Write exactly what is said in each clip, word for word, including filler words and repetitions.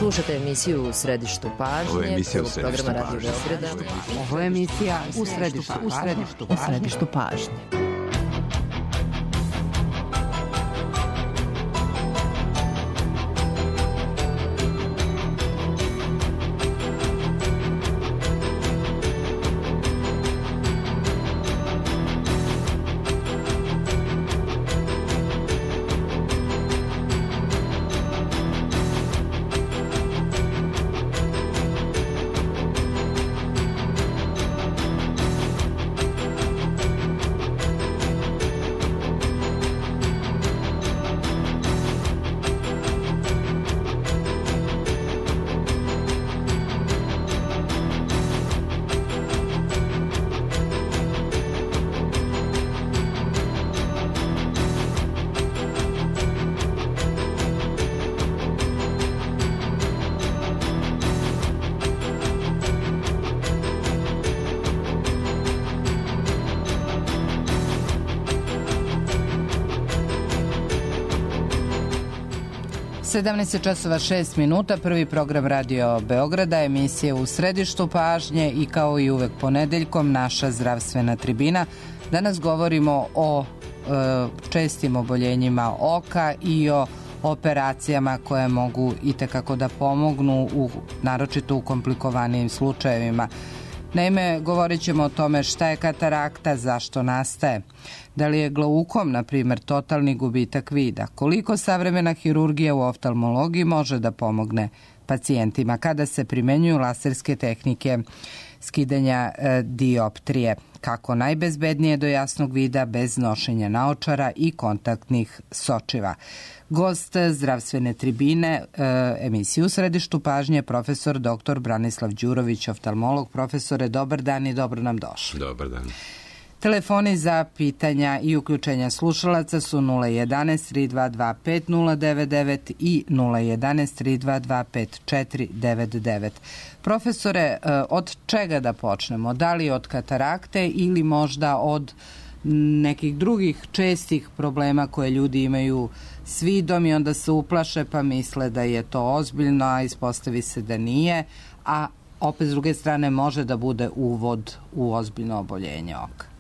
Slušate emisiju U središtu pažnje. Ovo je emisija U središtu programa Radio pažnje. Beograda. Ovo je emisija U središtu, u središtu, u središtu pažnje. sedamnaest časova šest minuta, prvi program Radio Beograda, emisije U središtu pažnje i kao i uvek ponedeljkom naša zdravstvena tribina. Danas govorimo o e, čestim oboljenjima oka i o operacijama koje mogu itekako da pomognu, u, naročito u komplikovanijim slučajevima. Naime, govorit ćemo o tome šta je katarakta, zašto nastaje, da li je glaukom, na primjer, totalni gubitak vida, koliko savremena hirurgija u oftalmologiji može da pomogne pacijentima kada se primenjuju laserske tehnike skidanja e, dioptrije, kako najbezbednije do jasnog vida bez nošenja naočara i kontaktnih sočiva. Gost zdravstvene tribine, e, emisiju U središtu pažnje, profesor doktor Branislav Đurović, oftalmolog. Profesore, dobar dan i dobro nam došli. Dobar dan. Telefoni za pitanja i uključenja slušalaca su nula jedanaest tri dva dva pet nula devet devet i nula jedanaest tri dva dva pet četiri devet devet. Profesore, od čega da počnemo? Da li od katarakte ili možda od nekih drugih čestih problema koje ljudi imaju s vidom i onda se uplaše pa misle da je to ozbiljno, a ispostavi se da nije, a opet s druge strane može da bude uvod u ozbiljno oboljenje oka?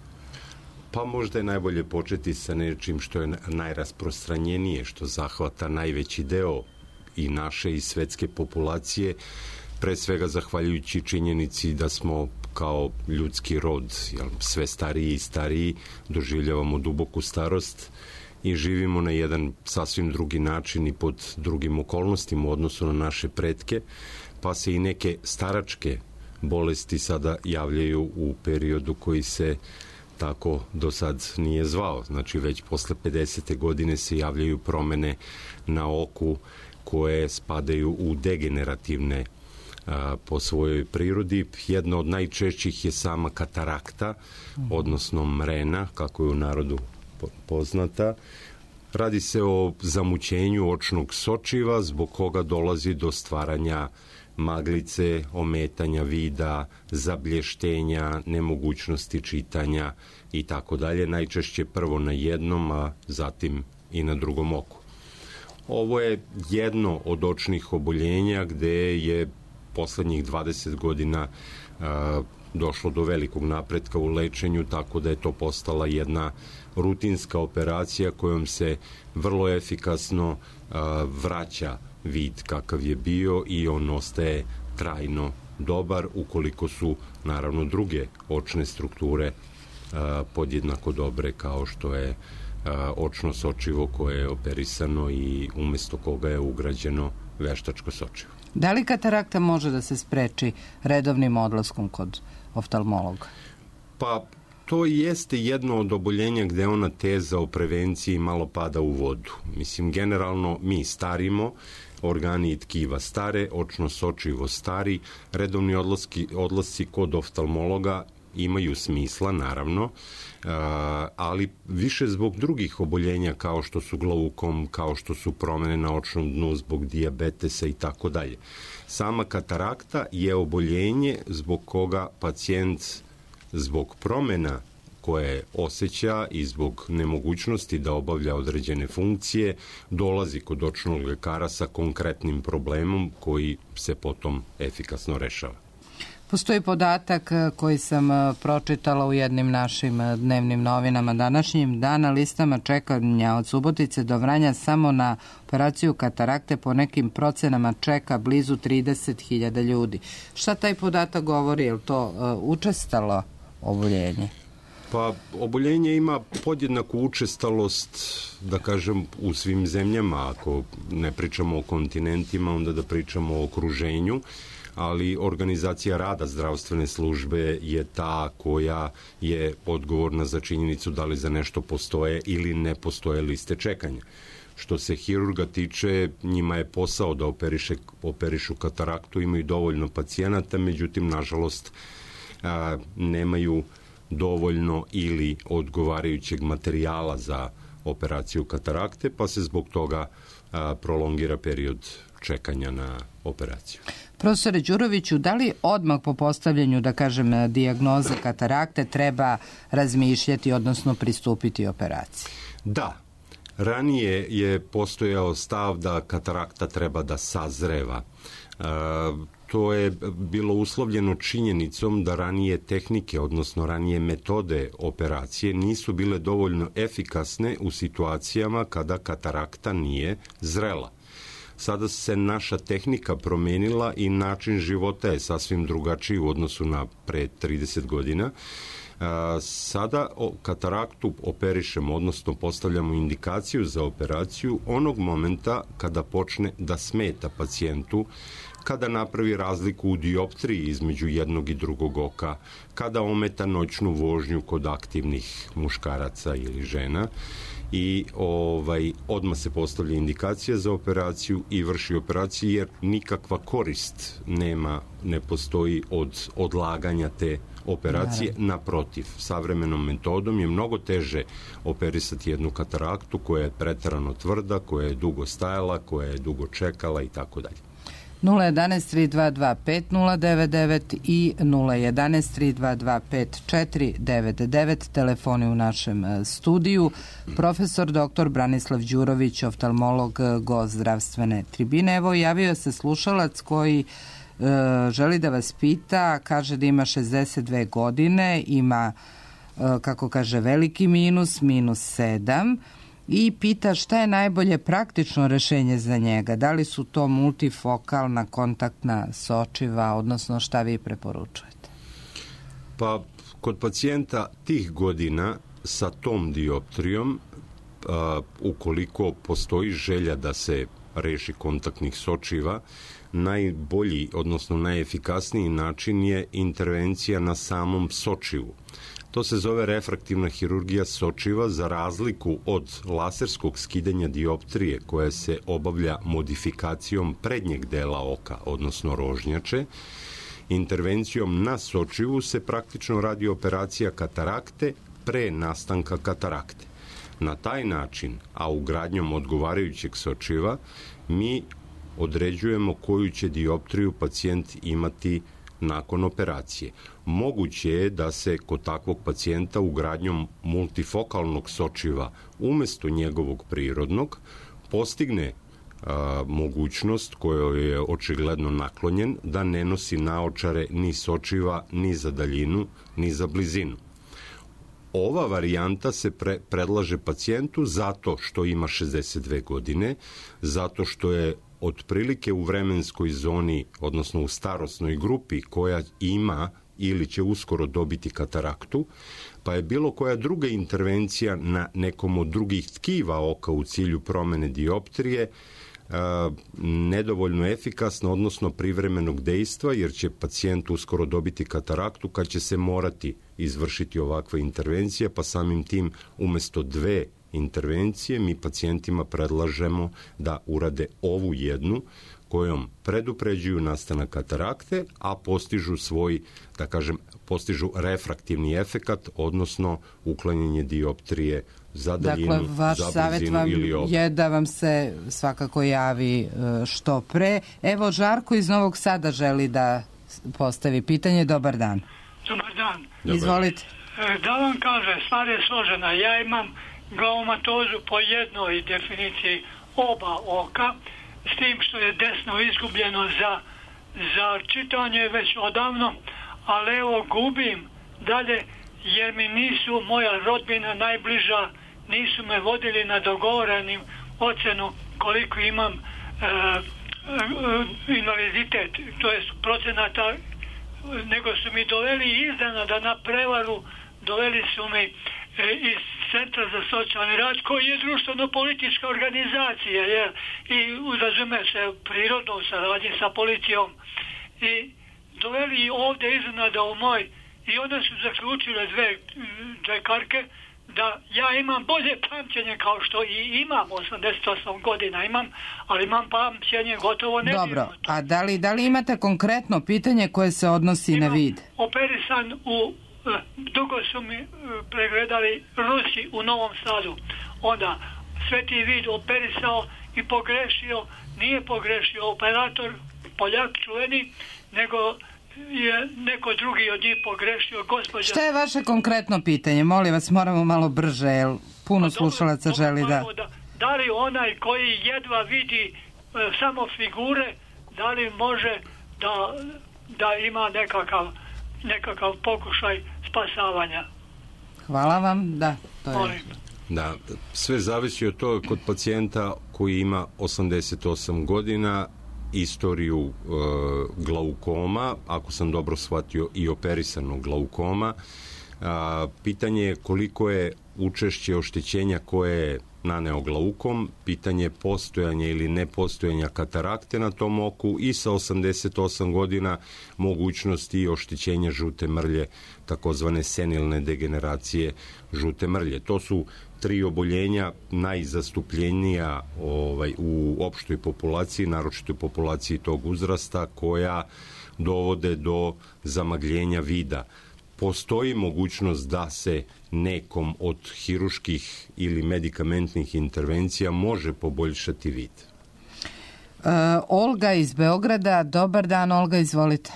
Pa možda je najbolje početi sa nečim što je najrasprostranjenije, što zahvata najveći deo i naše i svetske populacije, pre svega zahvaljujući činjenici da smo kao ljudski rod, jel, sve stariji i stariji, doživljavamo duboku starost i živimo na jedan sasvim drugi način i pod drugim okolnostima u odnosu na naše pretke, pa se i neke staračke bolesti sada javljaju u periodu koji se tako do sad nije zvao. Znači već posle pedesete godine se javljaju promene na oku koje spadaju u degenerativne a, po svojoj prirodi. Jedna od najčešćih je sama katarakta, odnosno mrena, kako je u narodu poznata. Radi se o zamućenju očnog sočiva, zbog koga dolazi do stvaranja maglice, ometanja vida, zablještenja, nemogućnosti čitanja i tako dalje. Najčešće prvo na jednom, a zatim i na drugom oku. Ovo je jedno od očnih oboljenja gde je poslednjih dvadeset godina a, došlo do velikog napretka u lečenju, tako da je to postala jedna rutinska operacija kojom se vrlo efikasno a, vraća vid kakav je bio i on ostaje trajno dobar ukoliko su naravno druge očne strukture a, podjednako dobre kao što je a, očno sočivo koje je operisano i umesto koga je ugrađeno veštačko sočivo. Da li katarakta može da se spreči redovnim odlaskom kod oftalmologa? Pa to jeste jedno od oboljenja gde ona teza o prevenciji malo pada u vodu. Mislim, generalno mi starimo, organi i tkiva stare, očno sočivo stari, redovni odlaski, odlasci kod oftalmologa imaju smisla, naravno, ali više zbog drugih oboljenja kao što su glaukom, kao što su promene na očnom dnu zbog dijabetesa i tako dalje. Sama katarakta je oboljenje zbog koga pacijent zbog promena koje osjeća i zbog nemogućnosti da obavlja određene funkcije dolazi kod očnog lekara sa konkretnim problemom koji se potom efikasno rešava. Postoji podatak koji sam pročitala u jednim našim dnevnim novinama današnjim. Da na listama čekanja od Subotice do Vranja samo na operaciju katarakte po nekim procenama čeka blizu trideset hiljada ljudi. Šta taj podatak govori? Je li to uh, učestalo oboljenje? Pa, oboljenje ima podjednaku učestalost, da kažem, u svim zemljama. Ako ne pričamo o kontinentima, onda da pričamo o okruženju, ali organizacija rada zdravstvene službe je ta koja je odgovorna za činjenicu da li za nešto postoje ili ne postoje liste čekanja. Što se hirurga tiče, njima je posao da operiše, operišu kataraktu, imaju dovoljno pacijenata, međutim, nažalost, a, nemaju dovoljno ili odgovarajućeg materijala za operaciju katarakte, pa se zbog toga a, prolongira period čekanja na operaciju. Profesore Đuroviću, da li odmah po postavljanju, da kažem, dijagnoze katarakte treba razmišljati, odnosno pristupiti operaciji? Da. Ranije je postojao stav da katarakta treba da sazreva. E, to je bilo uslovljeno činjenicom da ranije tehnike, odnosno ranije metode operacije nisu bile dovoljno efikasne u situacijama kada katarakta nije zrela. Sada se naša tehnika promenila i način života je sasvim drugačiji u odnosu na pre trideset godina. Sada kataraktu operišemo, odnosno postavljamo indikaciju za operaciju onog momenta kada počne da smeta pacijentu, kada napravi razliku u dioptriji između jednog i drugog oka, kada ometa noćnu vožnju kod aktivnih muškaraca ili žena i ovaj, odmah se postavlja indikacija za operaciju i vrši operaciju, jer nikakva korist nema, ne postoji od odlaganja te operacije. Naprotiv, savremenom metodom je mnogo teže operisati jednu kataraktu koja je preterano tvrda, koja je dugo stajala, koja je dugo čekala i tako dalje. nula jedan tri dva dva pet nula devet devet i nula jedan tri dva dva pet četiri devet devet, telefoni u našem studiju. Profesor doktor Branislav Đurović, oftalmolog, gost zdravstvene tribine. Evo, javio se slušalac koji e, želi da vas pita, kaže da ima šezdeset dve godine, ima, e, kako kaže, veliki minus, minus sedam, i pita šta je najbolje praktično rešenje za njega. Da li su to multifokalna kontaktna sočiva, odnosno šta vi preporučujete? Pa, kod pacijenta tih godina sa tom dioptrijom, a, ukoliko postoji želja da se reši kontaktnih sočiva, najbolji, odnosno najefikasniji način je intervencija na samom sočivu. To se zove refraktivna hirurgija sočiva, za razliku od laserskog skidanja dioptrije koja se obavlja modifikacijom prednjeg dela oka, odnosno rožnjače. Intervencijom na sočivu se praktično radi operacija katarakte pre nastanka katarakte. Na taj način, a ugradnjom odgovarajućeg sočiva, mi određujemo koju će dioptriju pacijent imati nakon operacije. Moguće je da se kod takvog pacijenta ugradnjom multifokalnog sočiva umesto njegovog prirodnog postigne a, mogućnost kojoj je očigledno naklonjen da ne nosi naočare ni sočiva, ni za daljinu, ni za blizinu. Ova varijanta se pre, predlaže pacijentu zato što ima šezdeset dve godine, zato što je otprilike u vremenskoj zoni, odnosno u starosnoj grupi koja ima ili će uskoro dobiti kataraktu, pa je bilo koja druga intervencija na nekom od drugih tkiva oka u cilju promene dioptrije a, nedovoljno efikasna, odnosno privremenog dejstva, jer će pacijent uskoro dobiti kataraktu kad će se morati izvršiti ovakva intervencija, pa samim tim umesto dve intervencije mi pacijentima predlažemo da urade ovu jednu kojom predupređuju nastanak katarakte, a postižu svoj, da kažem, postižu refraktivni efekat, odnosno uklanjanje dioptrije za daljinu, dakle, vaš za savjet vam ili ob... je da vam se svakako javi što pre. Evo, Žarko iz Novog Sada želi da postavi pitanje. Dobar dan. Dobar dan. Izvolite. Da vam kažem, stvar je složena. Ja imam glaumatozu po jednoj definiciji oba oka, s tim što je desno izgubljeno za, za čitanje već odavno, ali evo gubim dalje jer mi nisu moja rodbina najbliža, nisu me vodili na dogovorenim ocenu koliko imam e, e, invaliditet, to je procenata, nego su mi doveli iznenada na prevaru, doveli su mi e, iz Centra za socijalni rad, koji je društveno-politička organizacija, jer i razume se prirodno u saradnji sa policijom. I doveli ovdje iznenada u moj, i onda su zaključile dve džekarke da ja imam bolje pamćenje kao što i imam, osamdeset osam godina imam, ali imam pamćenje gotovo nedirnuto. Dobro, a da li, da li imate konkretno pitanje koje se odnosi imam na vid? Operisan u, dugo su mi pregledali Rusi u Novom Sadu, onda Sveti vid operisao i pogrešio, nije pogrešio operator, Poljak čuveni, nego je neko drugi od njih pogrešio, gospođa... Šta je vaše konkretno pitanje? Molim vas, moramo malo brže, jer puno pa, slušalaca dobro, želi da... da... Da li onaj koji jedva vidi e, samo figure, da li može da, da ima nekakav, nekakav pokušaj spasavanja? Hvala vam, da, to je... Molim. Da, sve zavisi od toga kod pacijenta koji ima osamdeset osam godina, istoriju e, glaukoma, ako sam dobro shvatio i operisanog glaukoma. A, pitanje je koliko je učešće oštećenja koje je naneo glaukom, pitanje postojanja ili nepostojanja katarakte na tom oku i sa osamdeset osam godina mogućnosti oštećenja žute mrlje, takozvane senilne degeneracije žute mrlje. To su tri oboljenja najzastupljenija ovaj, u opštoj populaciji, naročito populaciji tog uzrasta, koja dovode do zamagljenja vida. Postoji mogućnost da se nekom od hiruških ili medikamentnih intervencija može poboljšati vid. E, Olga iz Beograda. Dobar dan, Olga, izvolite.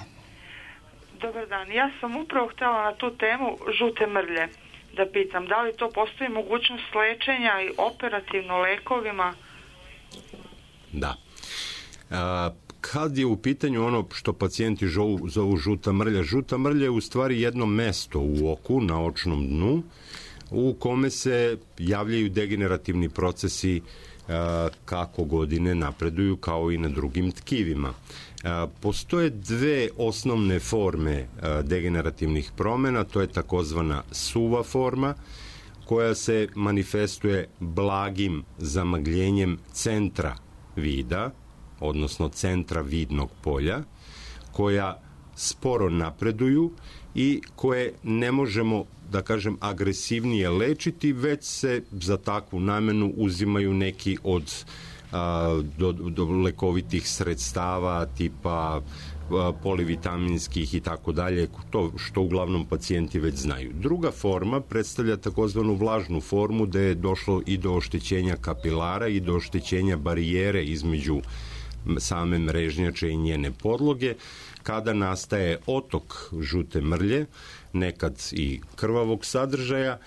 Dobar dan. Ja sam upravo htjela na tu temu žute mrlje da pitam. Da li to postoji mogućnost lečenja i operativno lekovima? Da. A, kad je u pitanju ono što pacijenti zovu, zovu žuta mrlja, žuta mrlja je u stvari jedno mesto u oku, na očnom dnu, u kome se javljaju degenerativni procesi a, kako godine napreduju, kao i na drugim tkivima. A, postoje dve osnovne forme a, degenerativnih promjena, to je takozvana suva forma, koja se manifestuje blagim zamagljenjem centra vida, odnosno centra vidnog polja, koja sporo napreduju i koje ne možemo, da kažem, agresivnije lečiti, već se za takvu namenu uzimaju neki od a, do, do lekovitih sredstava tipa a, polivitaminskih i tako dalje, to što uglavnom pacijenti već znaju. Druga forma predstavlja takozvanu vlažnu formu, gde je došlo i do oštećenja kapilara i do oštećenja barijere između same mrežnjače i njene podloge, kada nastaje otok žute mrlje, nekad i krvavog sadržaja.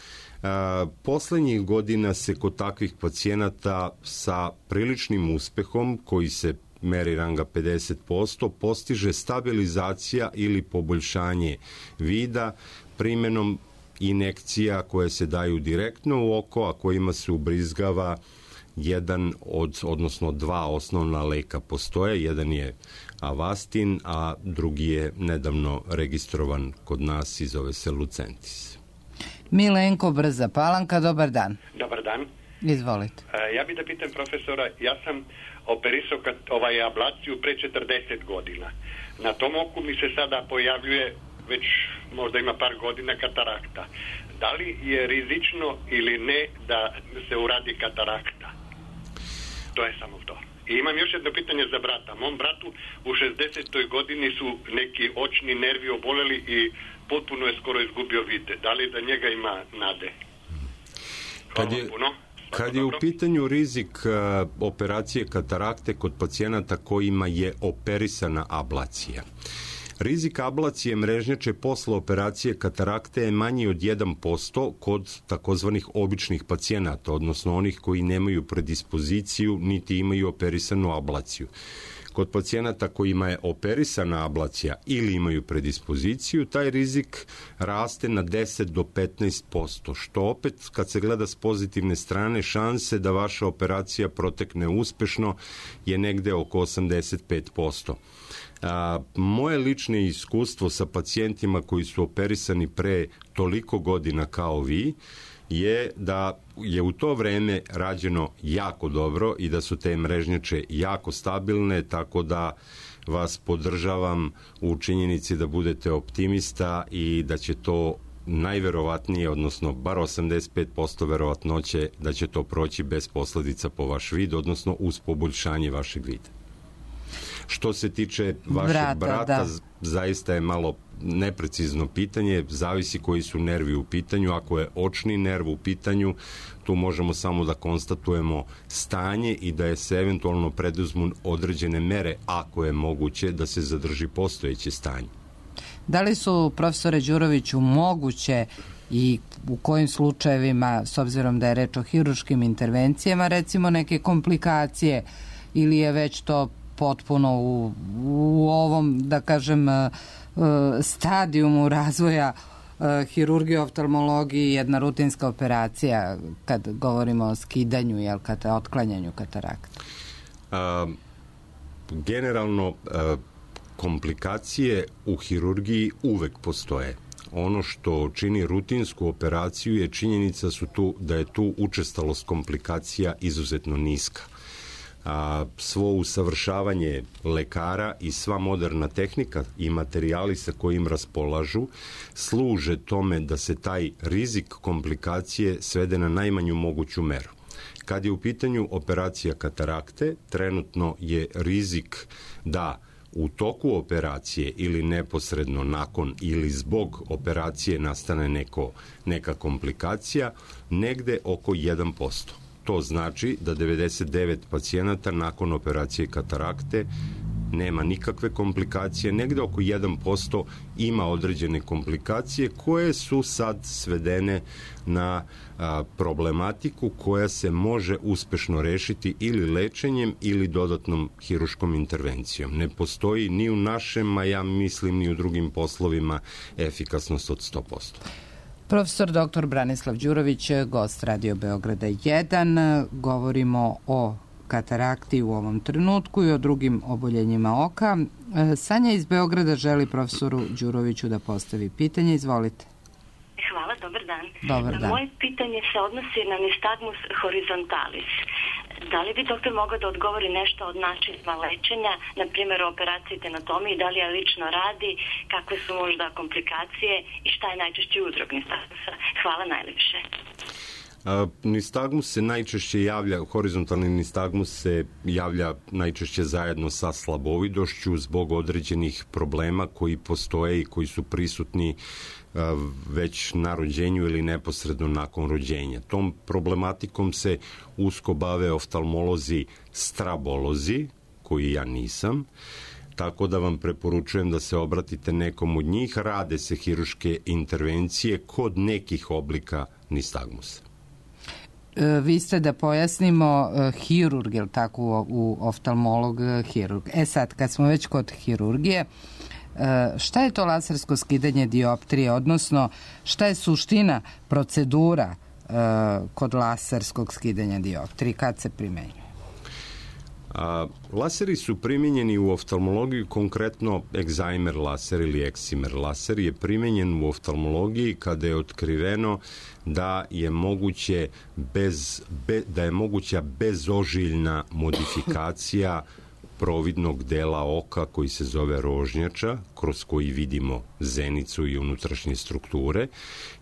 A, poslednjih godina se kod takvih pacijenata sa priličnim uspehom, koji se meri ranga pedeset posto, postiže stabilizacija ili poboljšanje vida primenom injekcija koje se daju direktno u oko, a kojima se ubrizgava jedan od, odnosno dva osnovna leka postoje. Jedan je Avastin, a drugi je nedavno registrovan kod nas i zove se Lucentis. Milenko Brza Palanka, dobar dan. Dobar dan. Izvolite. E, ja bih da pitam profesora, ja sam operisao kat, ovaj ablaciju pre četrdeset godina. Na tom oku mi se sada pojavljuje, već možda ima par godina, katarakta. Da li je rizično ili ne da se uradi katarakta? To je samo to. I imam još jedno pitanje za brata. Mom bratu u šezdesetoj godini su neki očni nervi oboleli i potpuno je skoro izgubio vid. Da li da njega ima nade? Hvala kad je, puno. Kad je u pitanju rizik uh, operacije katarakte kod pacijenata kojima je operisana ablacija, Rizik ablacije mrežnjače posle operacije katarakte je manji od jedan posto kod takozvanih običnih pacijenata, odnosno onih koji nemaju predispoziciju niti imaju operisanu ablaciju. Kod pacijenata kojima je operisana ablacija ili imaju predispoziciju, taj rizik raste na deset do petnaest posto, što opet, kad se gleda s pozitivne strane, šanse da vaša operacija protekne uspešno je negde oko osamdeset pet posto. A, moje lično iskustvo sa pacijentima koji su operisani pre toliko godina kao vi je da je u to vreme rađeno jako dobro i da su te mrežnjače jako stabilne, tako da vas podržavam u činjenici da budete optimista i da će to najverovatnije, odnosno bar osamdeset pet posto verovatnoće da će to proći bez posledica po vaš vid, odnosno uz poboljšanje vašeg vida. Što se tiče vašeg brata, brata zaista je malo neprecizno pitanje, zavisi koji su nervi u pitanju. Ako je očni nerv u pitanju, tu možemo samo da konstatujemo stanje i da je se eventualno preduzmu određene mere, ako je moguće, da se zadrži postojeće stanje. Da li su, profesore Đuroviću, moguće i u kojim slučajevima, s obzirom da je reč o hiruškim intervencijama, recimo neke komplikacije, ili je već to potpuno u, u ovom, da kažem, stadijumu razvoja hirurgije, oftalmologiji, jedna rutinska operacija kad govorimo o skidanju, jel, kada otklanjanju katarakta? A, generalno, a, komplikacije u hirurgiji uvek postoje. Ono što čini rutinsku operaciju je činjenica su tu, da je tu učestalost komplikacija izuzetno niska. A, svo usavršavanje lekara i sva moderna tehnika i materijali sa kojim raspolažu služe tome da se taj rizik komplikacije svede na najmanju moguću meru. Kad je u pitanju operacija katarakte, trenutno je rizik da u toku operacije ili neposredno nakon ili zbog operacije nastane neko, neka komplikacija negde oko jedan posto. To znači da devedeset devet pacijenata nakon operacije katarakte nema nikakve komplikacije, negde oko jedan posto ima određene komplikacije koje su sad svedene na a, problematiku koja se može uspešno rešiti ili lečenjem ili dodatnom hiruškom intervencijom. Ne postoji ni u našem, a ja mislim ni u drugim poslovima, efikasnost od sto posto. Profesor doktor Branislav Đurović, gost Radio Beograda jedan. Govorimo o katarakti u ovom trenutku i o drugim oboljenjima oka. Sanja iz Beograda želi profesoru Đuroviću da postavi pitanje. Izvolite. Hvala, dobar dan. Dobar dan. Moje pitanje se odnosi na nystagmus horizontalis. Da li bi doktor mogao da odgovori nešto od načina lečenja, na primjer o operaciji tenotomiji, da li je lično radi, kakve su možda komplikacije i šta je najčešći uzrok nystagmusa? Hvala najlepše. A, nystagmus se najčešće javlja, horizontalni nystagmus se javlja najčešće zajedno sa slabovidošću zbog određenih problema koji postoje i koji su prisutni a, već na rođenju ili neposredno nakon rođenja. Tom problematikom se usko bave oftalmolozi strabolozi, koji ja nisam, tako da vam preporučujem da se obratite nekom od njih. Rade se hiruške intervencije kod nekih oblika nystagmusa. Vi ste, da pojasnimo, hirurg, je li tako, u oftalmolog hirurg. E sad, kad smo već kod hirurgije, šta je to lasersko skidanje dioptrije, odnosno šta je suština procedura kod laserskog skidanja dioptrije, kad se primenjuje? A, laseri su primjenjeni u oftalmologiji, konkretno egzajmer laser ili eksimer laser je primjenjen u oftalmologiji kada je otkriveno da je moguće bez, be, da je moguća bezožiljna modifikacija providnog dela oka koji se zove rožnjača, kroz koji vidimo zenicu i unutrašnje strukture,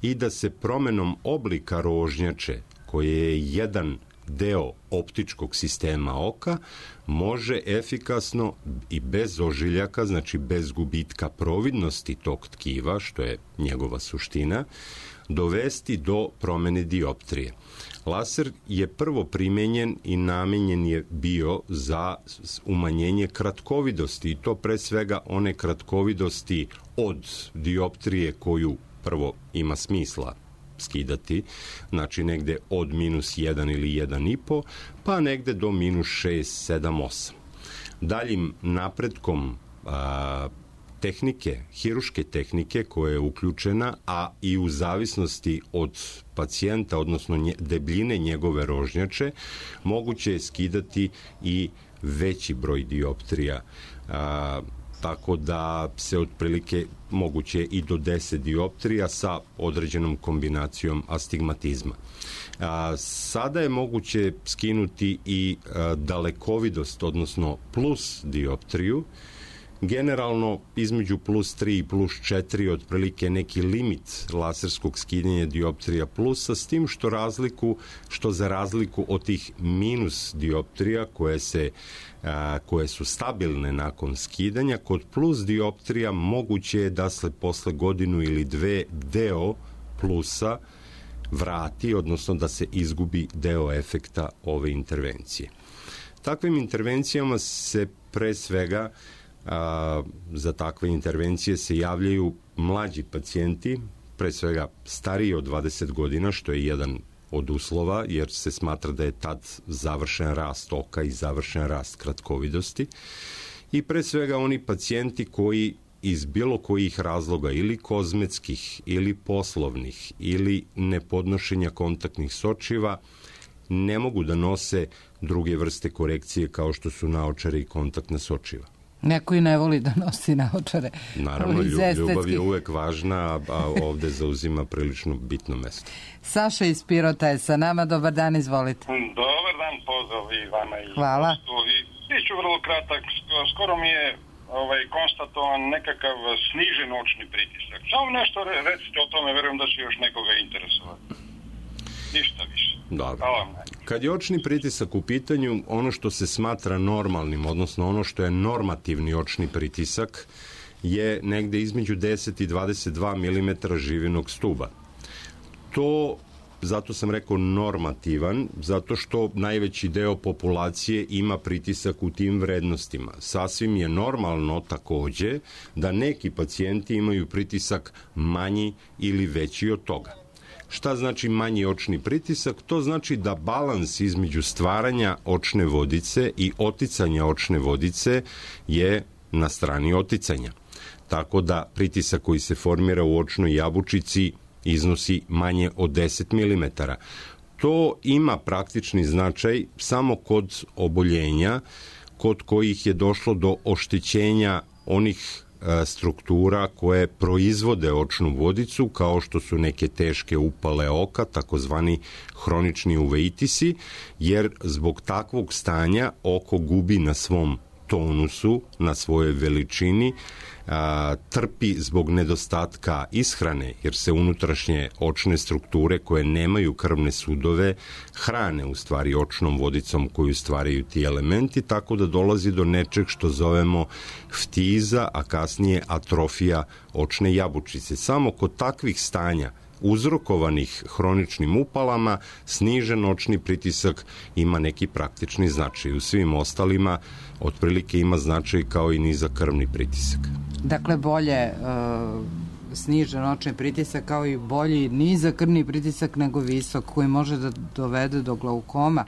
i da se promenom oblika rožnjače, koje je jedan deo optičkog sistema oka, može efikasno i bez ožiljaka, znači bez gubitka providnosti tog tkiva, što je njegova suština, dovesti do promene dioptrije. Laser je prvo primenjen i namenjen je bio za umanjenje kratkovidosti i to pre svega one kratkovidosti od dioptrije koju prvo ima smisla skidati, znači negde od minus jedan ili jedan i po, pa negde do minus šest, sedam, osam. Daljim napretkom a, tehnike, hiruške tehnike koja je uključena, a i u zavisnosti od pacijenta, odnosno nje, debljine njegove rožnjače, moguće je skidati i veći broj dioptrija, a, tako da se otprilike moguće i do deset dioptrija sa određenom kombinacijom astigmatizma. A, sada je moguće skinuti i a, dalekovidost, odnosno plus dioptriju. Generalno između plus tri i plus četiri otprilike neki limit laserskog skidanja dioptrija plusa, s tim što razliku, što za razliku od tih minus dioptrija koje se a, koje su stabilne nakon skidanja, kod plus dioptrija moguće je da se posle godinu ili dve deo plusa vrati, odnosno da se izgubi deo efekta ove intervencije. Takvim intervencijama se pre svega A, za takve intervencije se javljaju mlađi pacijenti, pre svega stariji od dvadeset godina, što je jedan od uslova, jer se smatra da je tad završen rast oka i završen rast kratkovidosti. I pre svega oni pacijenti koji iz bilo kojih razloga, ili kozmetskih, ili poslovnih, ili nepodnošenja kontaktnih sočiva, ne mogu da nose druge vrste korekcije kao što su naočare i kontaktna sočiva. Neko i ne voli da nosi naočare. Naravno, ljubav je uvek važna, a ovde zauzima prilično bitno mesto. Saša iz Pirota je sa nama. Dobar dan, izvolite. Dobar dan, pozdrav i vama. I hvala. I biću vrlo kratak. Skoro mi je ovaj, konstatovan nekakav snižen očni pritisak. Samo nešto recite o tome, verujem da će još nekoga interesovati. Ništa više. Dobro. Kad je očni pritisak u pitanju, ono što se smatra normalnim, odnosno ono što je normativni očni pritisak, je negde između deset i dvadeset dva milimetra živinog stuba. To, zato sam rekao normativan, zato što najveći deo populacije ima pritisak u tim vrednostima. Sasvim je normalno takođe da neki pacijenti imaju pritisak manji ili veći od toga. Šta znači manji očni pritisak? To znači da balans između stvaranja očne vodice i oticanja očne vodice je na strani oticanja. Tako da pritisak koji se formira u očnoj jabučici iznosi manje od deset milimetara. To ima praktični značaj samo kod oboljenja kod kojih je došlo do oštećenja onih struktura koje proizvode očnu vodicu, kao što su neke teške upale oka, takozvani hronični uveitisi, jer zbog takvog stanja oko gubi na svom tonusu, na svojoj veličini, a, trpi zbog nedostatka ishrane, jer se unutrašnje očne strukture koje nemaju krvne sudove hrane u stvari očnom vodicom koju stvaraju ti elementi, tako da dolazi do nečeg što zovemo ftiza, a kasnije atrofija očne jabučice. Samo kod takvih stanja uzrokovanih hroničnim upalama, snižen očni pritisak ima neki praktični značaj. U svim ostalima otprilike ima značaj kao i nizak krvni pritisak. Dakle, bolje uh, snižen očni pritisak kao i bolji nizak krvni pritisak nego visok, koji može da dovede do glaukoma.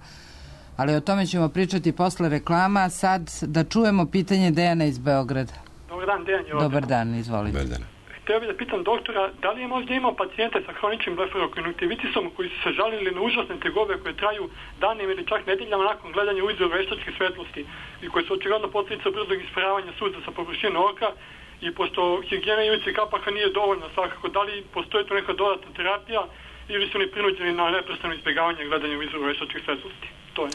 Ali o tome ćemo pričati posle reklama. Sad da čujemo pitanje Dejana iz Beograda. Dobar dan, Dejan je ovdje. Dobar dan, izvolite. Dobar dan. Htio bih da pitam doktora, da li je možda imao pacijente sa hroničnim blefarokonjuktivitisom koji su se žalili na užasne tegobe koje traju danima ili čak nedeljama nakon gledanja u izvor veštačke svetlosti i koje su očigledno posljedica brzog isparavanja suza sa površine oka, i pošto higijena ivice kapaka nije dovoljna svakako, da li postoji tu neka dodatna terapija ili su oni prinuđeni na neprestano izbjegavanje gledanja u izvor veštačke svetlosti? To je.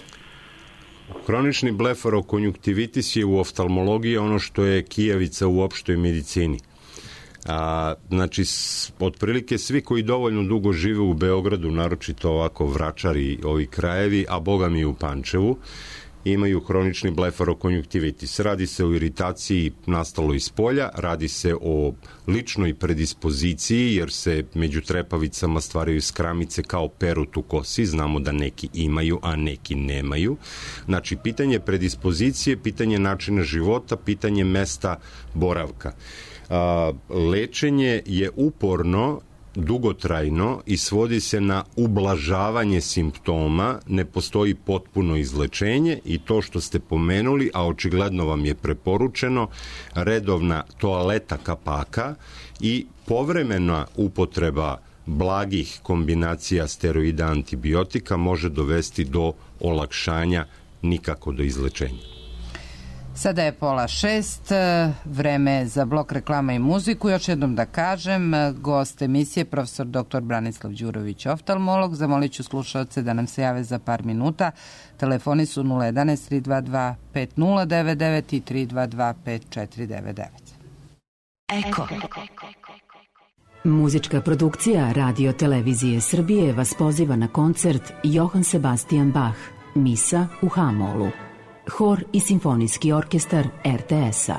Hronični blefarokonjuktivitis je u oftalmologiji ono što je kijavica u opštoj medicini. A, znači, s, otprilike svi koji dovoljno dugo žive u Beogradu, naročito ovako Vračari, ovi krajevi, a boga mi u Pančevu, imaju hronični blefarokonjuktivitis. Radi se o iritaciji nastaloj iz polja, radi se o ličnoj predispoziciji, jer se među trepavicama stvaraju skramice kao perut u kosi, znamo da neki imaju, a neki nemaju. Znači, pitanje predispozicije, pitanje načina života, pitanje mesta boravka. A, lečenje je uporno, dugotrajno i svodi se na ublažavanje simptoma, ne postoji potpuno izlečenje i to što ste pomenuli, a očigledno vam je preporučeno, redovna toaleta kapaka i povremena upotreba blagih kombinacija steroida antibiotika može dovesti do olakšanja, nikako do izlečenja. Sada je pola šest, vreme za blok reklama i muziku. Još jednom da kažem, gost emisije profesor doktor Branislav Đurović, oftalmolog. Zamolit ću slušalce da nam se jave za par minuta. Telefoni su nula jedanaest tri dva dva pet nula devet devet i tri dva dva pet četiri devet devet. Eko. Muzička produkcija Radio Televizije Srbije vas poziva na koncert Johann Sebastian Bach, Misa u H-molu. Hor i simfonijski orkestar er te es-a.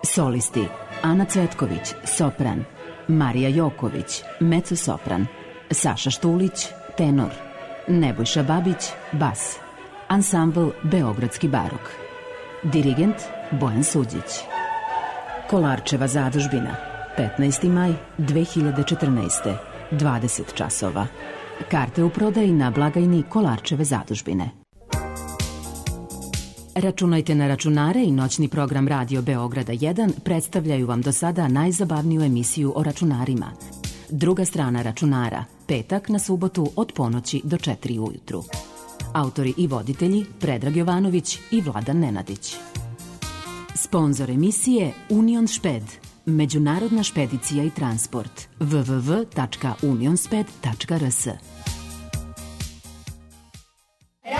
Solisti Ana Cvetković, sopran, Marija Joković, mezzo-sopran, Saša Štulić, tenor, Nebojša Babić, bas, ansambl Beogradski barok, dirigent Bojan Suđić. Kolarčeva zadužbina, petnaesti maj dve hiljade četrnaeste, dvadeset časova. Karte u prodaji na blagajni Kolarčeve zadužbine. Računajte na računare i noćni program Radio Beograda jedan predstavljaju vam do sada najzabavniju emisiju o računarima. Druga strana računara, petak na subotu od ponoći do četiri ujutru. Autori i voditelji Predrag Jovanović i Vladan Nenadić. Sponzor emisije Union Šped, međunarodna špedicija i transport. w w w tačka unionsped tačka r s.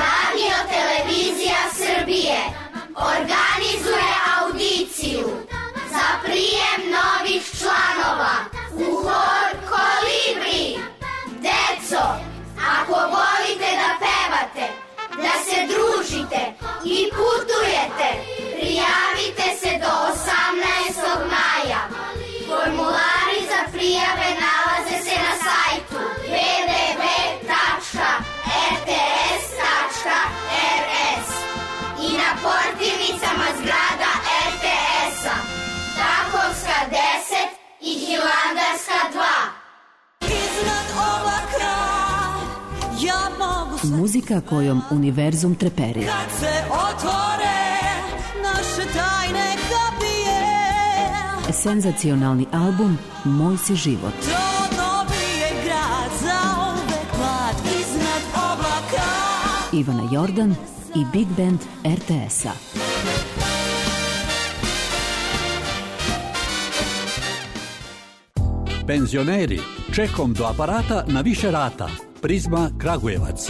Radio Televizija Srbije organizuje audiciju za prijem novih članova u hor Kolibri. Deco, ako volite da pevate, da se družite i putujete, prijavite se do osamnaestog maja. Formulari za prijave nalaze se na sajtu w w w tačka r t s tačka r s i na portirnicama zgrada er te es-a, Takovska deset i Hilandarska dva. Iznad oblaka ja mogu... Muzika kojom univerzum treperi. Kad se otvore naše tajne kapije. Senzacionalni album Moj si život. To dobije grad za uvek mlad iznad oblaka. Ivana Jordan i Big Band er te es-a. Penzioneri, čekom do aparata na više rata. Prizma Kragujevac.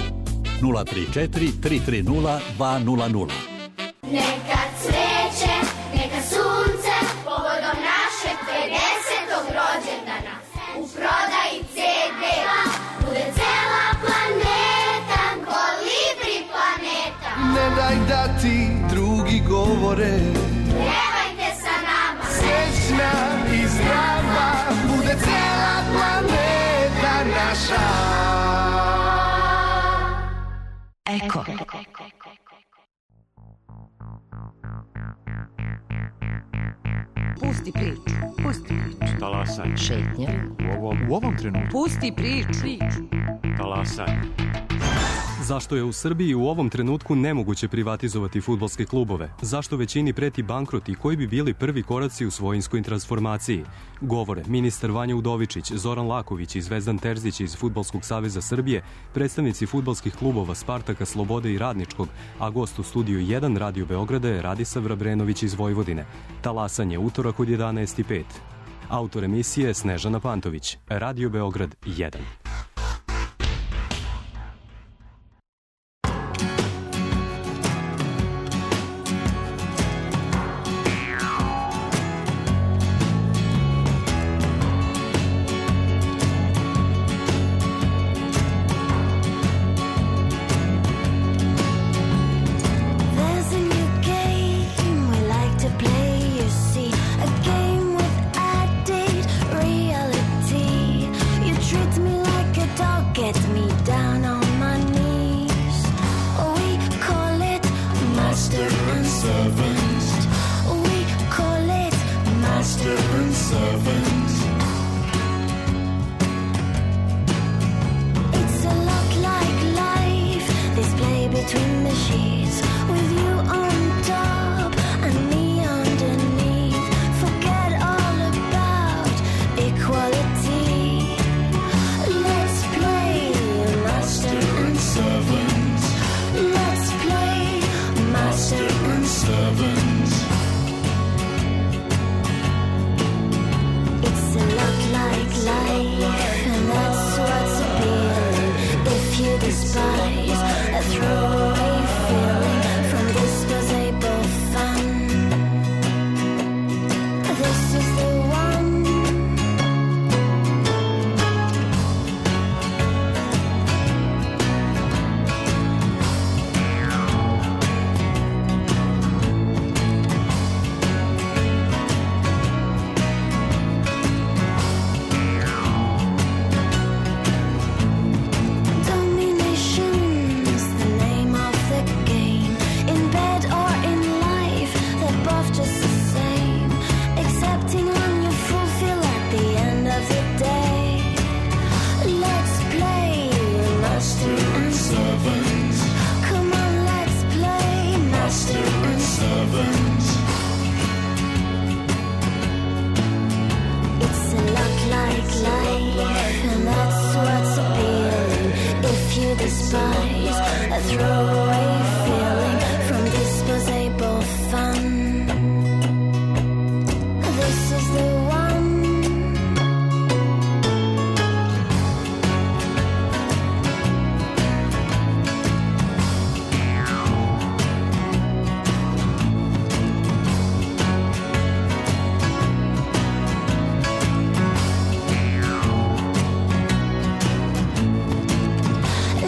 nula tri četiri tri tri nula dva nula nula. Neka cveće, neka sunce, povodom našeg pedesetog rođendana. U prodaji ce de bude cela planeta, Kolibri planeta. Ne daj da ti drugi govore, Pevajte sa nama, srećna i zdrava, bude cela planeta naša. Eko. Pusti priču, pusti priču. Talasaj. Šetnja. U ovom, u ovom trenutku. Pusti priču. Talasaj. Zašto je u Srbiji u ovom trenutku nemoguće privatizovati fudbalske klubove? Zašto većini preti bankrot i koji bi bili prvi koraci u svojinskoj transformaciji? Govore ministar Vanja Udovičić, Zoran Laković i Zvezdan Terzić iz Fudbalskog saveza Srbije, predstavnici fudbalskih klubova Spartaka, Slobode i Radničkog, a gost u studiju jedan Radio Beograda je Radisav Vrabrenović iz Vojvodine. Talasanje, utorak od jedanaest i pet. Autor emisije Snežana Pantović. Radio Beograd jedan. There's master and servant. We call it master and servant. It's a lot like life, this play between the sheets, with you on top and me underneath. Forget all about equality. Let's play master and servant. Let's play master and servant. It's a lot like life, and that's what's appealing. If you despise a throwaway feeling from disposable fun, this is the one. Domination's the name of the game. In bed or in life, they're both just the same, excepting when you fulfill at the end of the day. Let's play master and servant. Come on, let's play master and servant. It's a lot like life, and that's what's appealing. If you despise a throwaway feeling from disposable fun, this is the one.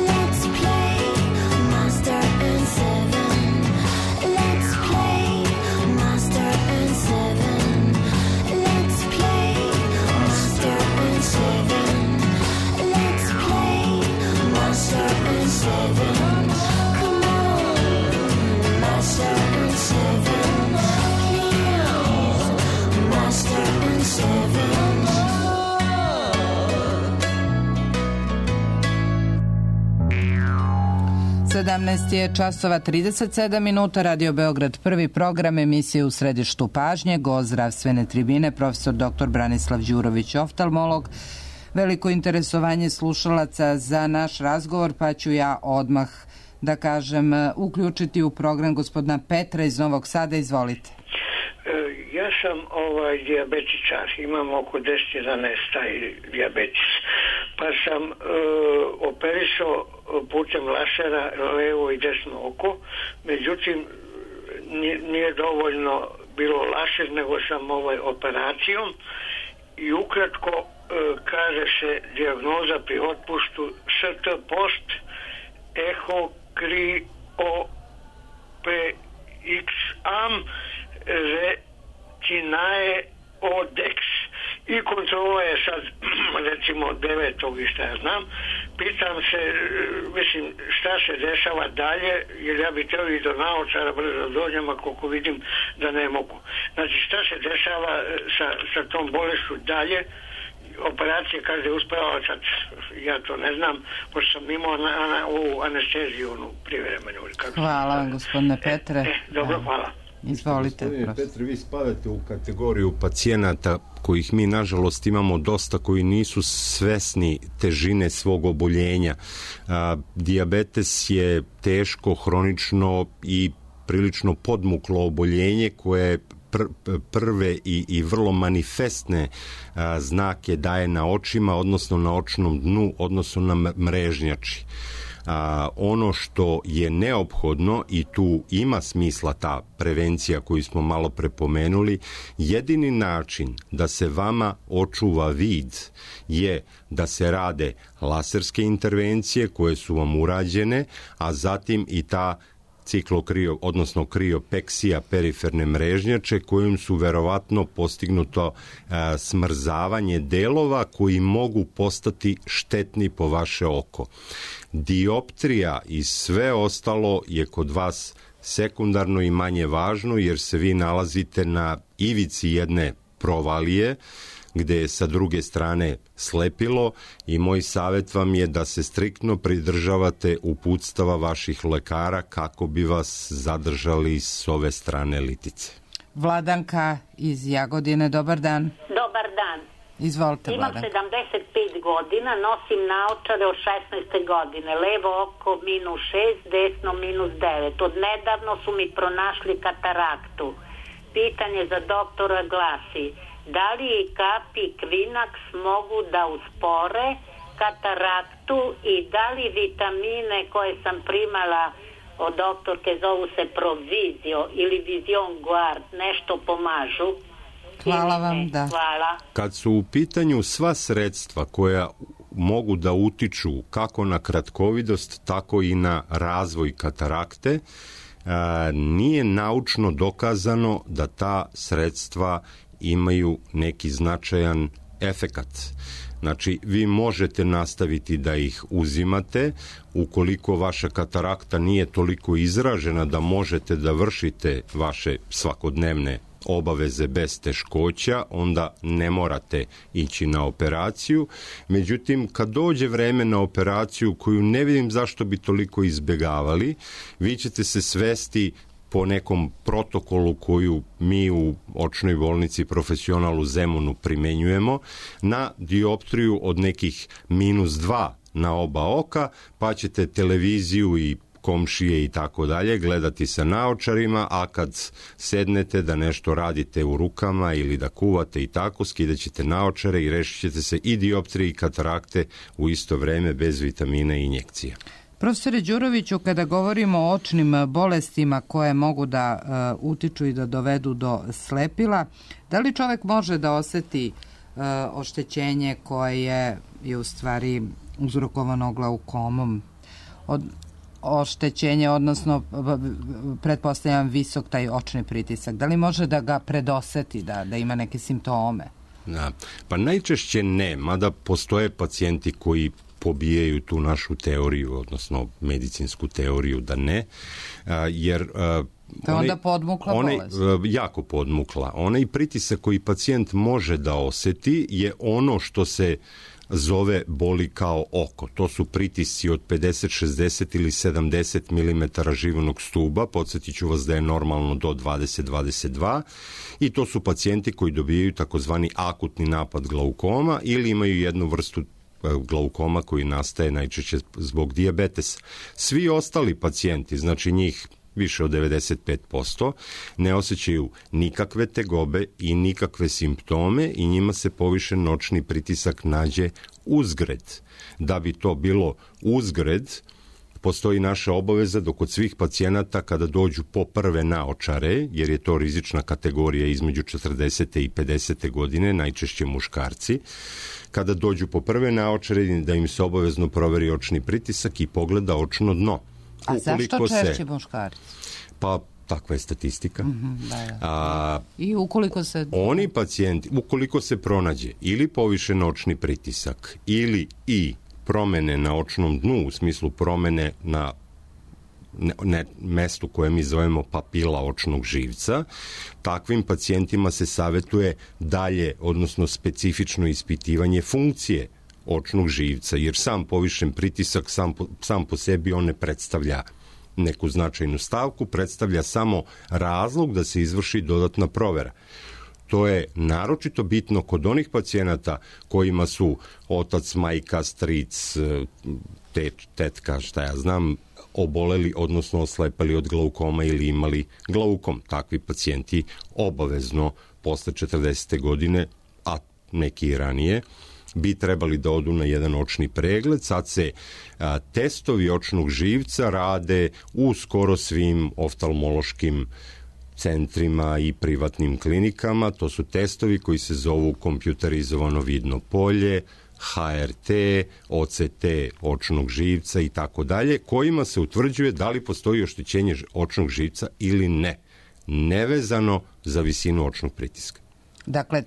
Let's play master and servant. Let's play master and servant. Let's play master and servant. Let's play master and servant. Come on, master and servant. Please, master and servant. sedamnaest je časova trideset sedam minuta, Radio Beograd, prvi program, emisije U središtu pažnje, gost zdravstvene tribine, profesor doktor Branislav Đurović, oftalmolog. Veliko interesovanje slušalaca za naš razgovor, pa ću ja odmah da kažem uključiti u program gospodina Petra iz Novog Sada. Izvolite. Ja sam ovaj dijabetičar, imam oko deset jedanaest taj dijabetes, pa sam e, operisao putem lasera levo i desno oko, međutim nije, nije dovoljno bilo laser, nego sam ovaj operacijom i ukratko e, kaže se dijagnoza pri otpuštu S T post eho kri o p x am retinae odex i kontrola je sad recimo devetog i šta ja znam. Pitam se, mislim, šta se dešava dalje, jer ja bih teo i do naočara brzo dođem, ako vidim da ne mogu. Znači, šta se dešava sa, sa tom bolešću dalje? Operacije kaže je uspela, sad ja to ne znam, pošto sam imao na, na, ovu anesteziju, onu privremenu. Hvala vam, gospodine Petre. E, dobro, hvala. Izvolite. Gospodine Petre, vi spadate u kategoriju pacijenata kojih mi nažalost imamo dosta, koji nisu svesni težine svog oboljenja. A, dijabetes je teško, hronično i prilično podmuklo oboljenje koje pr- prve i, i vrlo manifestne a, znake daje na očima, odnosno na očnom dnu, odnosno na mrežnjači. A, ono što je neophodno, i tu ima smisla ta prevencija koju smo malo prepomenuli, jedini način da se vama očuva vid je da se rade laserske intervencije koje su vam urađene, a zatim i ta ciklokrio, odnosno kriopeksija periferne mrežnjače, kojim su verovatno postignuto e, smrzavanje delova koji mogu postati štetni po vaše oko. Dioptrija i sve ostalo je kod vas sekundarno i manje važno, jer se vi nalazite na ivici jedne provalije, gde je sa druge strane slepilo, i moj savjet vam je da se striktno pridržavate uputstava vaših lekara kako bi vas zadržali s ove strane litice. Vladanka iz Jagodine, dobar dan. Dobar dan. Izvolite, Imam Vladanka. sedamdeset pet godina, nosim naočare od šesnaeste godine, levo oko minus šest, desno minus devet. Od nedavno su mi pronašli kataraktu. Pitanje za doktora glasi: da li i kapi Kvinax mogu da uspore kataraktu i da li vitamine koje sam primala od doktorke, zovu se Provizio ili Vision Guard, nešto pomažu? Hvala vam, da. Hvala. Kad su u pitanju sva sredstva koja mogu da utiču kako na kratkovidost, tako i na razvoj katarakte, nije naučno dokazano da ta sredstva imaju neki značajan efekat. Znači, vi možete nastaviti da ih uzimate ukoliko vaša katarakta nije toliko izražena da možete da vršite vaše svakodnevne obaveze bez teškoća, onda ne morate ići na operaciju. Međutim, kad dođe vreme na operaciju, koju ne vidim zašto bi toliko izbjegavali, vi ćete se svesti po nekom protokolu koju mi u očnoj bolnici Profesional u Zemunu primenjujemo, na dioptriju od nekih minus dva na oba oka, pa ćete televiziju i komšije i tako dalje gledati sa naočarima, a kad sednete da nešto radite u rukama ili da kuvate i tako, skidat ćete naočare i rešit ćete se i dioptrije i katarakte u isto vreme bez vitamina i injekcija. Profesore Đuroviću, kada govorimo o očnim bolestima koje mogu da uh, utiču i da dovedu do slepila, da li čovek može da oseti uh, oštećenje koje je u stvari uzrokovano glaukomom? Od, oštećenje, odnosno pretpostavljam visok taj očni pritisak. Da li može da ga predoseti, da, da ima neke simptome? Da. Pa najčešće ne, mada postoje pacijenti koji pobijaju tu našu teoriju, odnosno medicinsku teoriju da ne, jer to je onda podmukla onaj, bolest. Jako podmukla. Onaj pritisak koji pacijent može da oseti je ono što se zove boli kao oko. To su pritisci od pedeset, šezdeset ili sedamdeset milimetara živenog stuba. Podsjetit ću vas da je normalno do dvadeset do dvadeset dva, i to su pacijenti koji dobijaju takozvani akutni napad glaukoma ili imaju jednu vrstu glaukoma koji nastaje najčešće zbog dijabetesa. Svi ostali pacijenti, znači njih više od devedeset pet posto, ne osjećaju nikakve tegobe i nikakve simptome i njima se povišen noćni pritisak nađe uzgred. Da bi to bilo uzgred, postoji naša obaveza da kod svih pacijenata kada dođu po prve naočare, jer je to rizična kategorija između četrdesete i pedesete godine, najčešće muškarci, kada dođu po prve naočare da im se obavezno proveri očni pritisak i pogleda očno dno. A zašto češće muškarci? Pa takva je statistika. Mm-hmm, da, da. A, I ukoliko se... Oni pacijenti, ukoliko se pronađe ili povišen očni pritisak ili i promene na očnom dnu, u smislu promene na ne, ne, mestu koje mi zovemo papila očnog živca, takvim pacijentima se savjetuje dalje, odnosno specifično ispitivanje funkcije očnog živca, jer sam povišen pritisak sam po, sam po sebi on ne predstavlja neku značajnu stavku, predstavlja samo razlog da se izvrši dodatna provera. To je naročito bitno kod onih pacijenata kojima su otac, majka, stric, teč, tetka, šta ja znam, oboleli, odnosno oslepali od glaukoma ili imali glaukom. Takvi pacijenti obavezno posle četrdesete godine, a neki i ranije, bi trebali da odu na jedan očni pregled. Sad se a, testovi očnog živca rade u skoro svim oftalmološkim centrima i privatnim klinikama. To su testovi koji se zovu kompjuterizovano vidno polje, H R T, O C T očnog živca i tako dalje, kojima se utvrđuje da li postoji oštećenje očnog živca ili ne, nevezano za visinu očnog pritiska. Dakle,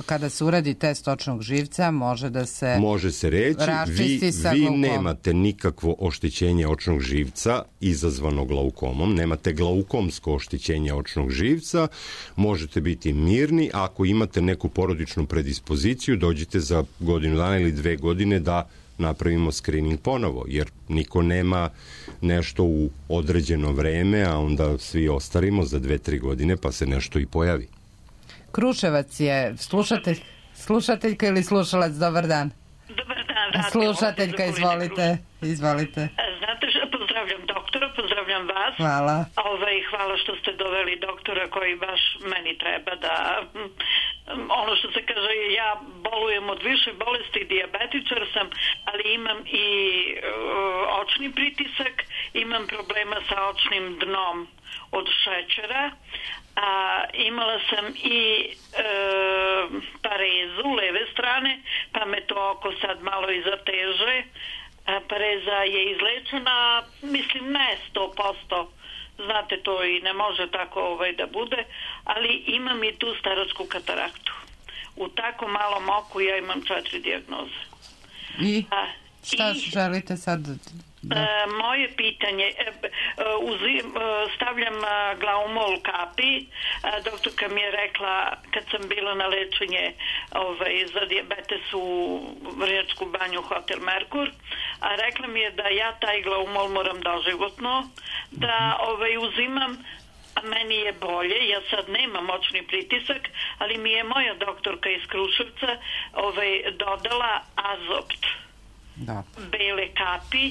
kada se uradi test očnog živca, može da se može se reći, vi, vi nemate nikakvo oštećenje očnog živca izazvano glaukomom, nemate glaukomsko oštećenje očnog živca, možete biti mirni. Ako imate neku porodičnu predispoziciju, dođite za godinu dana ili dve godine da napravimo screening ponovo, jer niko nema nešto u određeno vreme, a onda svi ostarimo za dve, tri godine pa se nešto i pojavi. Kruševac je slušatelj, slušateljka ili slušalac, dobar dan. Dobar dan. Slušateljka, izvolite, izvolite. Znate što, pozdravljam doktora, pozdravljam vas. Hvala. Ovaj, hvala što ste doveli doktora koji baš meni treba da, ono što se kaže, ja bolujem od više bolesti, dijabetičar sam, ali imam i uh, očni pritisak, imam problema sa očnim dnom od šećera, a imala sam i e, parezu leve strane, pa me to oko sad malo i zateže. A pareza je izlečena, mislim ne sto posto, znate to i ne može tako ovaj da bude, ali imam i tu staračku kataraktu. U tako malom oku ja imam četiri dijagnoze. I a, šta i, želite sad? Da. E, moje pitanje, e, uzim, stavljam glaumol kapi, e, doktorka mi je rekla kad sam bila na lečenje ovaj, za dijabetes u Vrnjačku banju Hotel Merkur, a rekla mi je da ja taj glaumol moram doživotno da ovaj, uzimam, a meni je bolje, ja sad nemam moćni pritisak, ali mi je moja doktorka iz Kruševca ovaj, dodala azopt. Da. Bele kapi.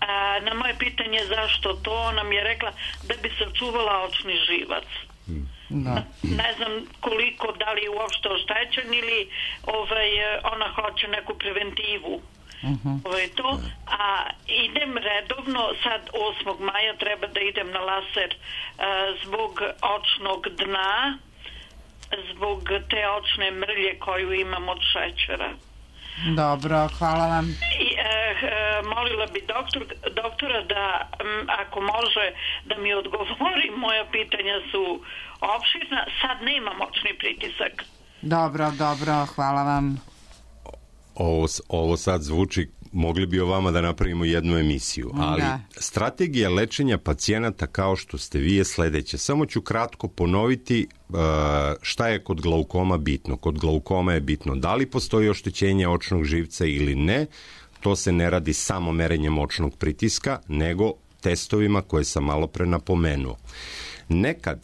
A, na moje pitanje zašto to, ona mi je rekla da bi sačuvala očni živac. Da. Ne znam koliko, da li je uopšte oštećen ili ovaj, ona hoće neku preventivu. Uh-huh. Ovaj, to. A idem redovno, sad osmog maja treba da idem na laser a, zbog očnog dna, zbog te očne mrlje koju imam od šećera. Dobro, hvala vam. I, e, e, molila bi doktor, doktora da, m, ako može, da mi odgovori, moja pitanja su opširna, sad nema moćni pritisak. Dobro, dobro, hvala vam. Ovo, ovo sad zvuči, mogli bi o vama da napravimo jednu emisiju, ali da. Strategija lečenja pacijenata kao što ste vi je sledeća. Samo ću kratko ponoviti uh, šta je kod glaukoma bitno. Kod glaukoma je bitno da li postoji oštećenje očnog živca ili ne. To se ne radi samo merenjem očnog pritiska, nego testovima koje sam malo pre napomenuo. Nekad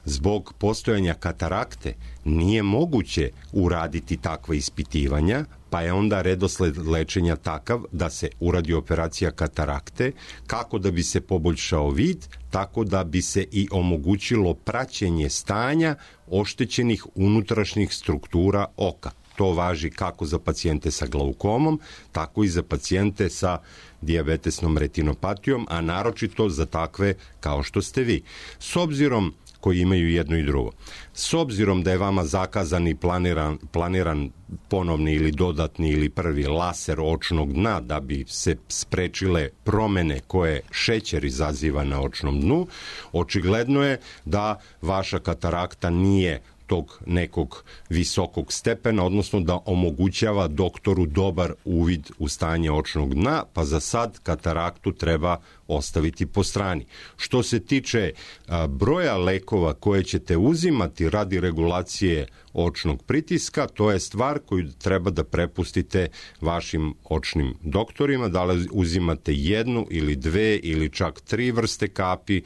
zbog postojanja katarakte nije moguće uraditi takva ispitivanja, pa je onda redosled lečenja takav da se uradi operacija katarakte, kako da bi se poboljšao vid, tako da bi se i omogućilo praćenje stanja oštećenih unutrašnjih struktura oka. To važi kako za pacijente sa glaukomom, tako i za pacijente sa dijabetesnom retinopatijom, a naročito za takve kao što ste vi. S obzirom koji imaju jedno i drugo. S obzirom da je vama zakazan i planiran, planiran ponovni ili dodatni ili prvi laser očnog dna da bi se sprečile promene koje šećer izaziva na očnom dnu, očigledno je da vaša katarakta nije tog nekog visokog stepena, odnosno da omogućava doktoru dobar uvid u stanje očnog dna, pa za sad kataraktu treba ostaviti po strani. Što se tiče a, broja lekova koje ćete uzimati radi regulacije očnog pritiska, to je stvar koju treba da prepustite vašim očnim doktorima, da li uzimate jednu ili dve ili čak tri vrste kapi.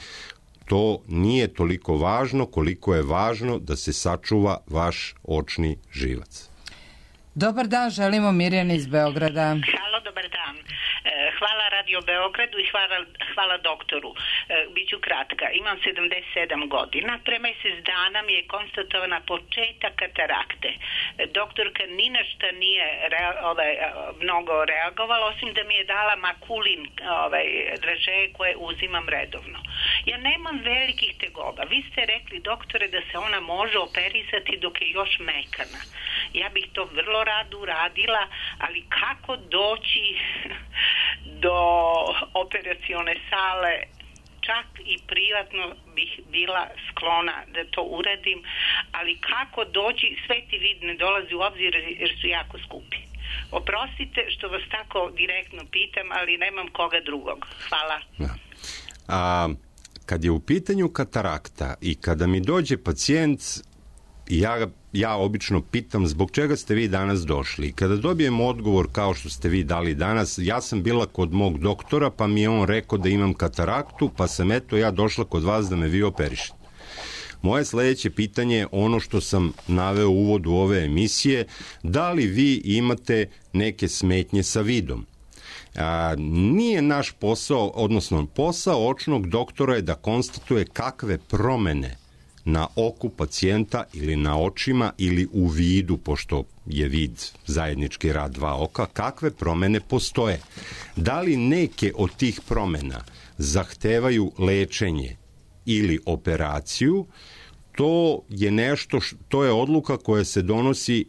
To nije toliko važno koliko je važno da se sačuva vaš očni živac. Dobar dan, želimo Mirjana iz Beograda. Halo, dobar dan. Hvala Radio Beogradu i hvala, hvala doktoru. Biću kratka. Imam sedamdeset sedam godina. Pre mesec dana mi je konstatovana početak katarakte. Doktorka ni na šta nije rea, ovaj, mnogo reagovala, osim da mi je dala makulin, ovaj, dražeje koje uzimam redovno. Ja nemam velikih tegoba. Vi ste rekli, doktore, da se ona može operisati dok je još mekana. Ja bih to vrlo rado uradila, ali kako doći do operacione sale čak i privatno bih bila sklona da to uradim, ali kako doći, sveti vid ne dolazi u obzir jer su jako skupi. Oprostite što vas tako direktno pitam, ali nemam koga drugog. Hvala. Da. A, kad je u pitanju katarakta i kada mi dođe pacijent, ja, ja obično pitam zbog čega ste vi danas došli. Kada dobijem odgovor kao što ste vi dali danas, ja sam bila kod mog doktora pa mi je on rekao da imam kataraktu, pa sam eto ja došla kod vas da me vi operišete. Moje sledeće pitanje je ono što sam naveo u uvodu ove emisije, da li vi imate neke smetnje sa vidom? A, nije naš posao, odnosno posao očnog doktora je da konstatuje kakve promene na oku pacijenta ili na očima ili u vidu, pošto je vid zajednički rad dva oka, kakve promene postoje. Da li neke od tih promena zahtevaju lečenje ili operaciju, to je nešto, to je odluka koja se donosi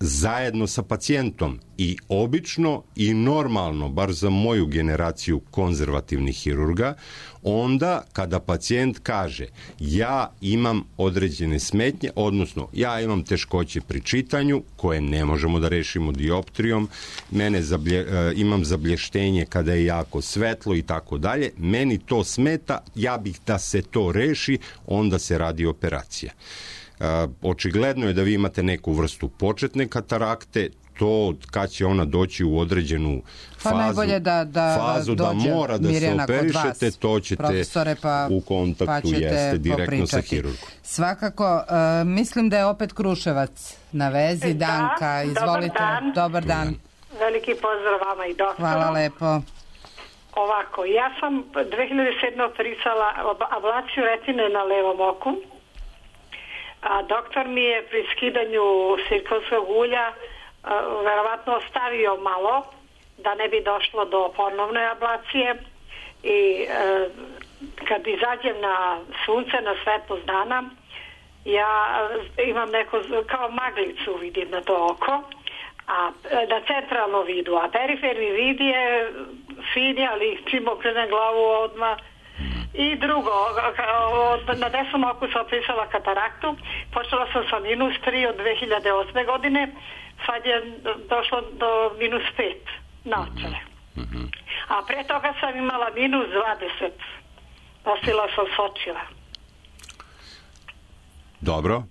zajedno sa pacijentom i obično i normalno, bar za moju generaciju konzervativnih hirurga, onda kada pacijent kaže ja imam određene smetnje, odnosno ja imam teškoće pri čitanju koje ne možemo da rešimo dioptrijom, mene zablje, imam zableštenje kada je jako svetlo i tako dalje, meni to smeta, ja bih da se to reši, onda se radi operacija. Uh, očigledno je da vi imate neku vrstu početne katarakte, to kad će ona doći u određenu fazu, pa najbolje da, da fazu da mora da se operišete, to ćete pa, u kontaktu pa jeste direktno popričati. Sa hirurgom. Svakako, uh, mislim da je opet Kruševac na vezi. Da, Danka, izvolite. Dobar dan. Dobar dan. Veliki pozdrav vama i doktoru. Hvala lepo. Ovako, ja sam dve hiljade sedme operisala ablaciju retine na levom oku, a doktor mi je pri skidanju silikonskog ulja a, verovatno ostavio malo da ne bi došlo do ponovne ablacije i a, kad izađem na sunce, na svetlost dana, ja imam neko, kao maglicu vidim na to oko, a na centralno vidu, a periferni vid je fini, ali čim okrenem glavu odmah. I drugo, na desnom oku sam opisala kataraktu, počela sam sa minus tri od dve hiljade osme godine, sad je došlo do minus pet na očare. A pre toga sam imala minus dvadeset, nosila sam sočiva. Dobro.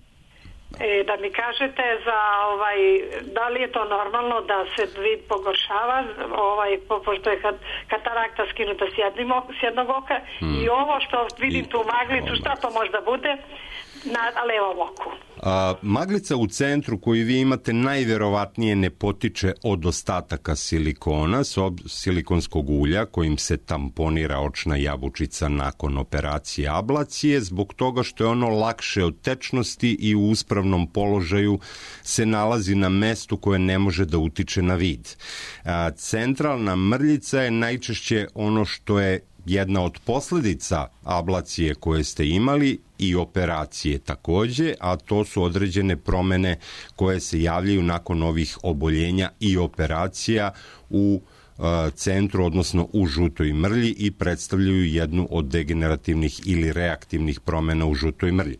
E, da mi kažete za ovaj, da li je to normalno da se vid pogoršava, ovaj, pošto je katarakta skinuta s, jednim, s jednog oka hmm. i ovo što vidim tu maglicu, šta to možda bude na levom oku? A, maglica u centru koju vi imate najverovatnije ne potiče od ostataka silikona, silikonskog ulja kojim se tamponira očna jabučica nakon operacije ablacije, zbog toga što je ono lakše od tečnosti i u uspravnom položaju se nalazi na mestu koje ne može da utiče na vid. A, centralna mrljica je najčešće ono što je jedna od posledica ablacije koje ste imali i operacije takođe, a to su određene promene koje se javljaju nakon ovih oboljenja i operacija u centru, odnosno u žutoj mrlji i predstavljaju jednu od degenerativnih ili reaktivnih promena u žutoj mrlji.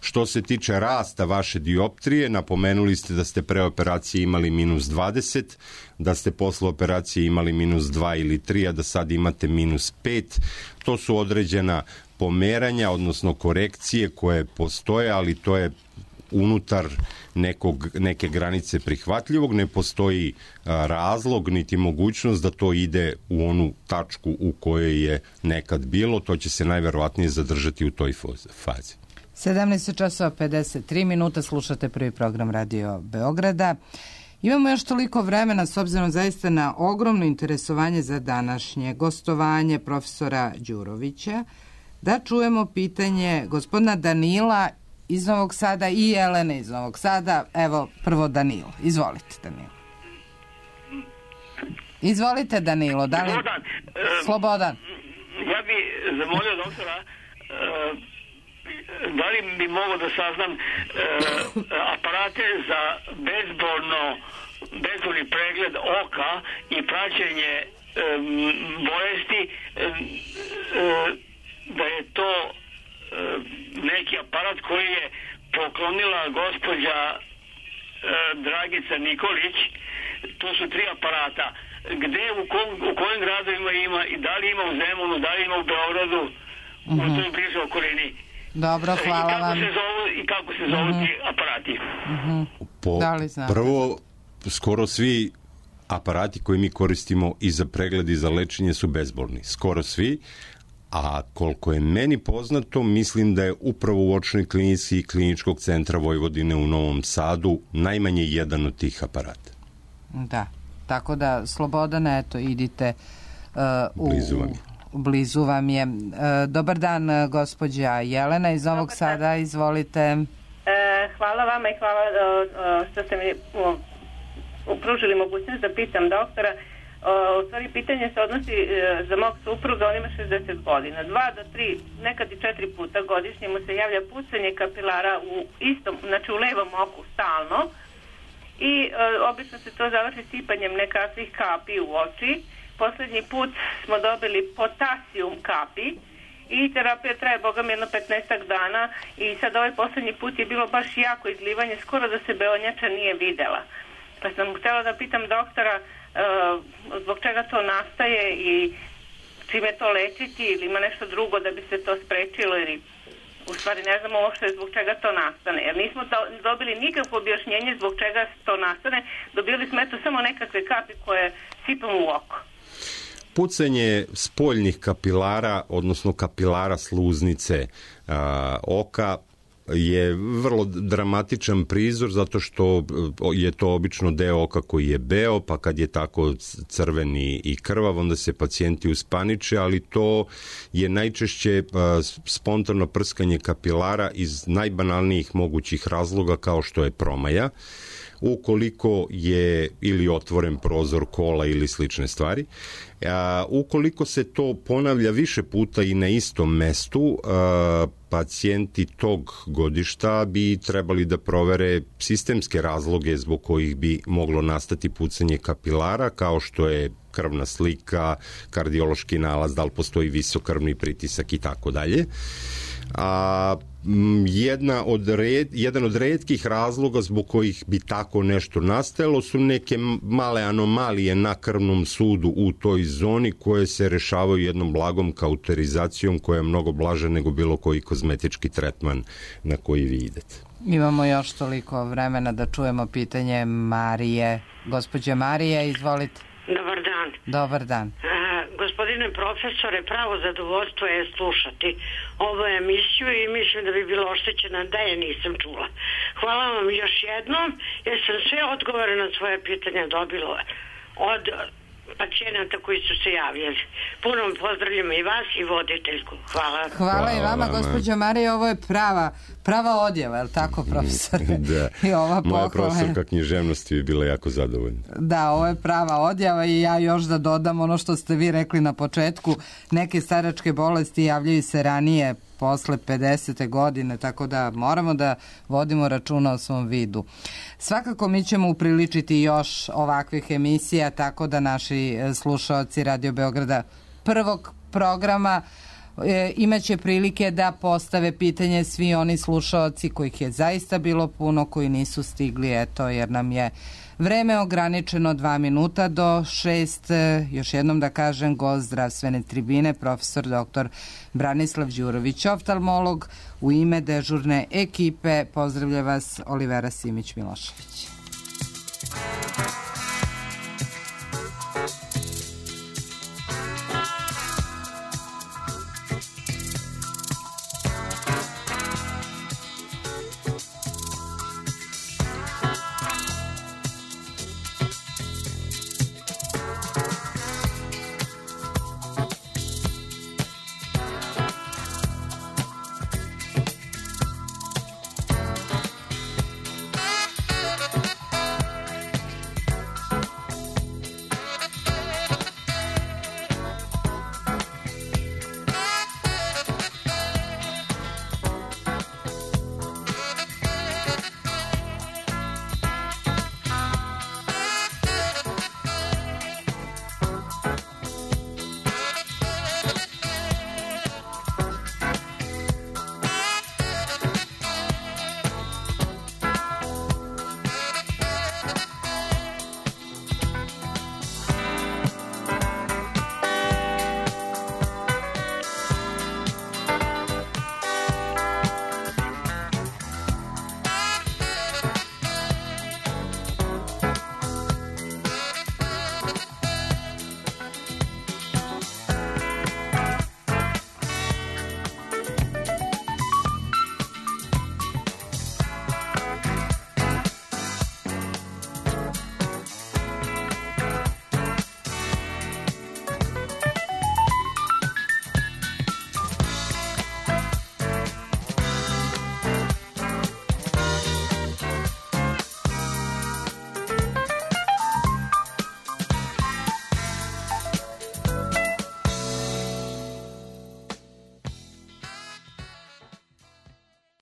Što se tiče rasta vaše dioptrije, napomenuli ste da ste pre operacije imali minus dvadeset, da ste posle operacije imali minus dva ili tri, a da sad imate minus pet. To su određena pomeranja, odnosno korekcije koje postoje, ali to je unutar nekog, neke granice prihvatljivog, ne postoji a, razlog niti mogućnost da to ide u onu tačku u kojoj je nekad bilo, to će se najverovatnije zadržati u toj fazi. sedamnaest časova pedeset tri minuta, slušate prvi program Radio Beograda. Imamo još toliko vremena, s obzirom zaista na ogromno interesovanje za današnje gostovanje profesora Đurovića, da čujemo pitanje gospodina Danila iz Novog Sada i Jelene iz Novog Sada. Evo, prvo Danilo. Izvolite, Danilo. Izvolite, Danilo. Da li... Slobodan. Slobodan. Ja bi zamolio doktora da li bi mogao da saznam e, aparate za bezbolno bezbolni pregled oka i praćenje e, bolesti e, e, da je to e, neki aparat koji je poklonila gospođa e, Dragica Nikolić. To su tri aparata. Gde, u, kom, u kojim gradovima ima i da li ima u Zemunu, da li ima u Beogradu, mm-hmm. u toj bližoj okolini. Dobro, hvala I kako vam. Se zovu, I kako se zovu mm-hmm. ti aparati? Mm-hmm. Po, da li znate? Prvo, skoro svi aparati koje mi koristimo i za pregled i za lečenje su bezbolni. Skoro svi. A koliko je meni poznato, mislim da je upravo u očnoj klinici Kliničkog centra Vojvodine u Novom Sadu najmanje jedan od tih aparata. Da, tako da Slobodane, eto, idite uh, u... Blizu vam je. Blizu vam je. Uh, dobar dan, gospođa Jelena iz Novog Sada, izvolite. E, hvala vama i hvala uh, što ste mi uh, upružili mogućnost da pitam doktora. U stvari, pitanje se odnosi e, za mog supruga, on ima šezdeset godina. Dva do tri, nekad i četiri puta godišnje mu se javlja pucanje kapilara u istom, znači u levom oku stalno i e, obično se to završi sipanjem nekakvih kapi u oči. Poslednji put smo dobili potasijum kapi i terapija traje, boga mi, jedno petnaestak dana i sad ovaj poslednji put je bilo baš jako izlivanje, skoro da se beonjača nije videla. Pa sam htjela da pitam doktora Uh, zbog čega to nastaje i čime to lečiti ili ima nešto drugo da bi se to sprečilo ili u stvari ne znamo uopšte zbog čega to nastane, jer nismo to, dobili nikakvo objašnjenje zbog čega to nastane, dobili smo eto samo nekakve kapi koje sipamo u oko. Pucanje spoljnih kapilara, odnosno kapilara sluznice a, oka je vrlo dramatičan prizor zato što je to obično deo oka koji je beo, pa kad je tako crveni i krvav, onda se pacijenti uspaniče, ali to je najčešće spontano prskanje kapilara iz najbanalnijih mogućih razloga kao što je promaja, ukoliko je ili otvoren prozor kola ili slične stvari. A, ukoliko se to ponavlja više puta i na istom mestu, a, pacijenti tog godišta bi trebali da provere sistemske razloge zbog kojih bi moglo nastati pucanje kapilara, kao što je krvna slika, kardiološki nalaz, da li postoji visok krvni pritisak i tako dalje. A jedna od red, jedan od retkih razloga zbog kojih bi tako nešto nastajalo su neke male anomalije na krvnom sudu u toj zoni koje se rešavaju jednom blagom kauterizacijom koja je mnogo blaža nego bilo koji kozmetički tretman na koji vi idete. Imamo još toliko vremena da čujemo pitanje Marije. Gospođe Marije, izvolite. Dobar dan. Dobar dan. A, gospodine profesore, pravo zadovoljstvo je slušati ovu emisiju i mislim da bi bilo oštećena da je nisam čula. Hvala vam još jednom jer sam sve odgovore na svoje pitanja dobila od pacijenata koji su se javljali. Puno pozdravljam i vas i voditeljku. Hvala. Hvala, Hvala i vama, gospođo Marija, ovo je prava, prava odjeva, je li tako, profesore? Da. I ova moja profesorka književnosti bi bila jako zadovoljna. Da, ovo je prava odjeva i ja još da dodam ono što ste vi rekli na početku, neke staračke bolesti javljaju se ranije, posle pedesete godine, tako da moramo da vodimo računa o svom vidu. Svakako mi ćemo upriličiti još ovakvih emisija, tako da naši slušaoci Radio Beograda prvog programa e, imaće prilike da postave pitanje svi oni slušaoci kojih je zaista bilo puno, koji nisu stigli, eto, jer nam je vreme ograničeno dva minuta do šest. Još jednom da kažem, gost zdravstvene tribine, profesor doktor Branislav Đurović, oftalmolog. U ime dežurne ekipe pozdravlja vas Olivera Simić-Milošević.